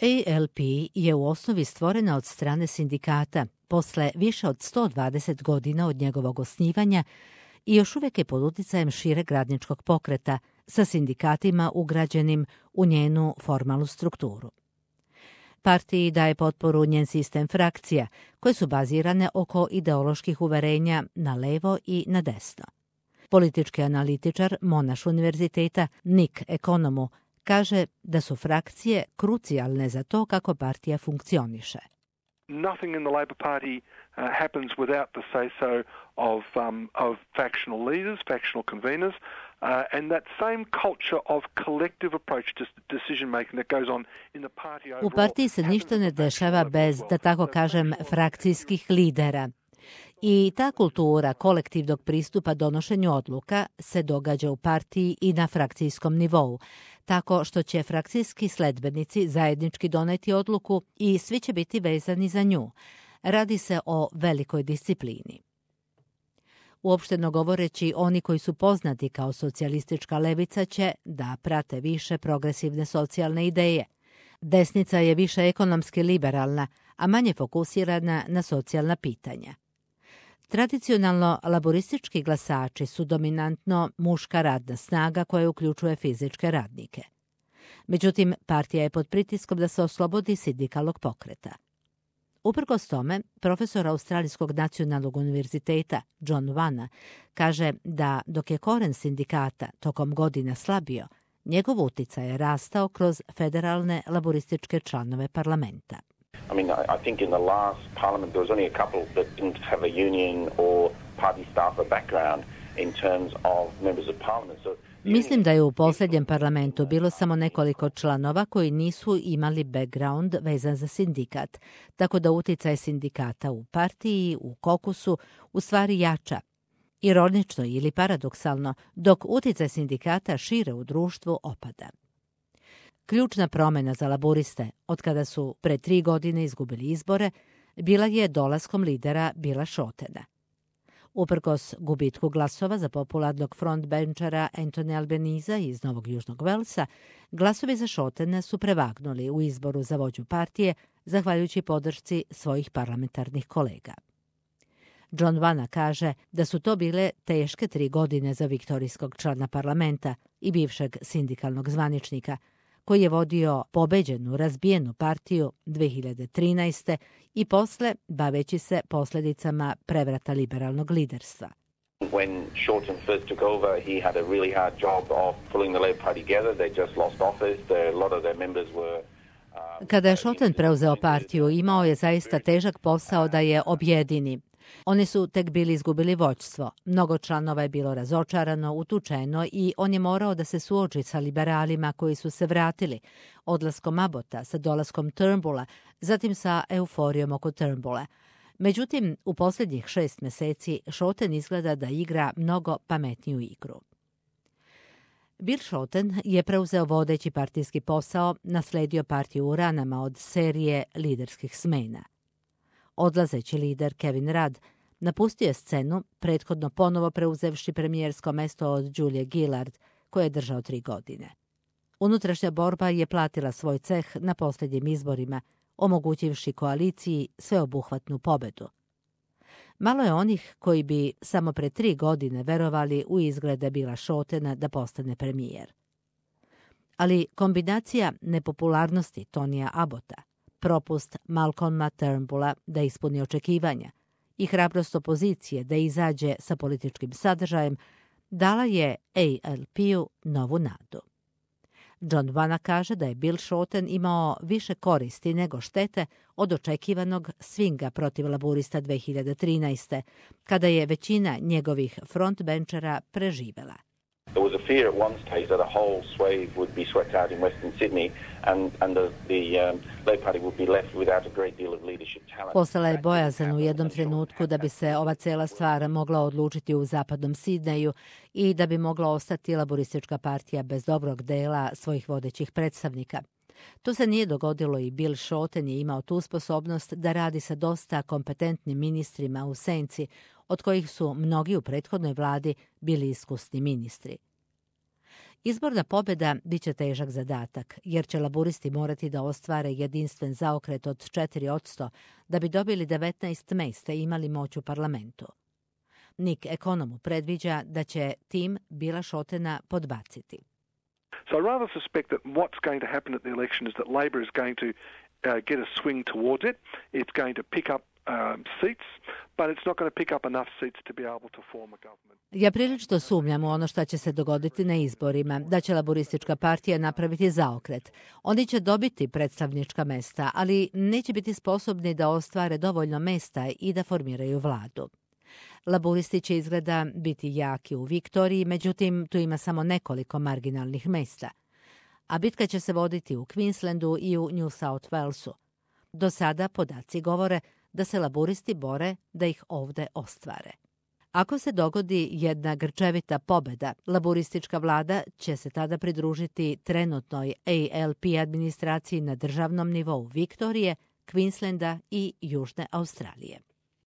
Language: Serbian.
ALP je u osnovi stvorena od strane sindikata posle više od 120 godina od njegovog osnivanja i još uvijek je pod uticajem šireg radničkog pokreta sa sindikatima ugrađenim u njenu formalnu strukturu. Partiji daje potporu njen sistem frakcija, koje su bazirane oko ideoloških uverenja na levo i na desno. Politički analitičar Monash univerziteta Nick Economu kaže da su frakcije krucijalne za to kako partija funkcioniše. Nothing in the Labor Party happens without the say-so of factional leaders, factional conveners, and that same culture of collective approach to decision making that goes on in the party overall. U partiji se ništa ne dešava bez, da tako kažem, frakcijskih lidera. I ta kultura kolektivnog pristupa donošenju odluka se događa u partiji i na frakcijskom nivou, tako što će frakcijski sledbenici zajednički doneti odluku i svi će biti vezani za nju. Radi se o velikoj disciplini. Uopšteno govoreći, oni koji su poznati kao socijalistička levica će da prate više progresivne socijalne ideje. Desnica je više ekonomski liberalna, a manje fokusirana na socijalna pitanja. Tradicionalno, laboristički glasači su dominantno muška radna snaga koja uključuje fizičke radnike. Međutim, partija je pod pritiskom da se oslobodi sindikalnog pokreta. Uprkos tome, profesor Australijskog nacionalnog univerziteta John Vanna kaže da dok je koren sindikata tokom godina slabio, njegov uticaj je rastao kroz federalne laborističke članove parlamenta. I mean, I think in the last parliament there was only a couple that didn't have a union or party staffer background in terms of members of parliament. Mislim da je u posljednjem parlamentu bilo samo nekoliko članova koji nisu imali background vezan za sindikat, tako da uticaj sindikata u partiji, u kokusu, u stvari jača. Ironično ili paradoksalno, dok uticaj sindikata šire u društvu opada. Ključna promjena za laboriste, od kada su pre 3 godine izgubili izbore, bila je dolaskom lidera Billa Shottena. Uprkos gubitku glasova za popularnog frontbenčara Anthony Albanese iz Novog Južnog Velsa, glasovi za Shottena su prevagnuli u izboru za vođu partije zahvaljujući podršci svojih parlamentarnih kolega. John Vanna kaže da su to bile teške 3 godine za viktorijskog člana parlamenta i bivšeg sindikalnog zvaničnika, koji je vodio pobeđenu, razbijenu partiju 2013. i posle baveći se posljedicama prevrata liberalnog liderstva. When Shorten first took over, he had a really hard job of pulling the Labor Party together. They just lost office. A lot of their members were Kada je Shotten preuzeo partiju, imao je zaista težak posao da je objedini. Oni su tek bili izgubili vođstvo. Mnogo članova je bilo razočarano, utučeno i on je morao da se suoči sa liberalima koji su se vratili, odlaskom Abbotta, sa dolaskom Turnbulla, zatim sa euforijom oko Turnbulla. Međutim, u posljednjih 6 meseci Shotten izgleda da igra mnogo pametniju igru. Bill Shorten je preuzeo vodeći partijski posao, nasledio partiju u ranama od serije liderskih smena. Odlazeći lider Kevin Rudd napustio je scenu, prethodno ponovo preuzevši premijersko mesto od Julie Gillard, koje je držao 3 godine. Unutrašnja borba je platila svoj ceh na posljednjim izborima, omogućivši koaliciji sveobuhvatnu pobedu. Malo je onih koji bi samo pre 3 godine verovali u izglede Billa Shottena da postane premijer. Ali kombinacija nepopularnosti Tonija Abbotta, propust Malcolma Turnbulla da ispuni očekivanja i hrabrost opozicije da izađe sa političkim sadržajem dala je ALP-u novu nadu. John Vanna kaže da je Bill Shorten imao više koristi nego štete od očekivanog swinga protiv laburista 2013. kada je većina njegovih frontbenčera preživela. There was a fear at one stage that a whole swathe would be swept out in Western Sydney and the Labor Party would be left without a great deal of leadership talent. Postala je bojazan u jednom trenutku da bi se ova cela stvar mogla odlučiti u zapadnom Sidneju i da bi mogla ostati laboristička partija bez dobrog dela svojih vodećih predstavnika. To se nije dogodilo i Bill Shorten je imao tu sposobnost da radi sa dosta kompetentnim ministrima u senci, od kojih su mnogi u prethodnoj vladi bili iskusni ministri. Izborna pobjeda bit će težak zadatak, jer će laburisti morati da ostvare jedinstven zaokret od 4% da bi dobili 19 mesta i imali moć u parlamentu. Nick Economu predviđa da će tim Billa Shortena podbaciti. So I rather suspect that what's going to happen at the election is that Labor is going to get a swing towards it. It's going to pick up seats, but it's not going to pick up enough seats to be able to form a government. Ja prilično sumnjam u ono što će se dogoditi na izborima, da će laboristička partija napraviti zaokret. Oni će dobiti predstavnička mesta, ali neće biti sposobni da ostvare dovoljno mesta i da formiraju vladu. Laburisti će izgleda biti jaki u Viktoriji, međutim tu ima samo nekoliko marginalnih mesta. A bitka će se voditi u Queenslandu i u New South Walesu. Do sada podaci govore da se laburisti bore da ih ovde ostvare. Ako se dogodi jedna grčevita pobjeda, laburistička vlada će se tada pridružiti trenutnoj ALP administraciji na državnom nivou Viktorije, Queenslanda i Južne Australije.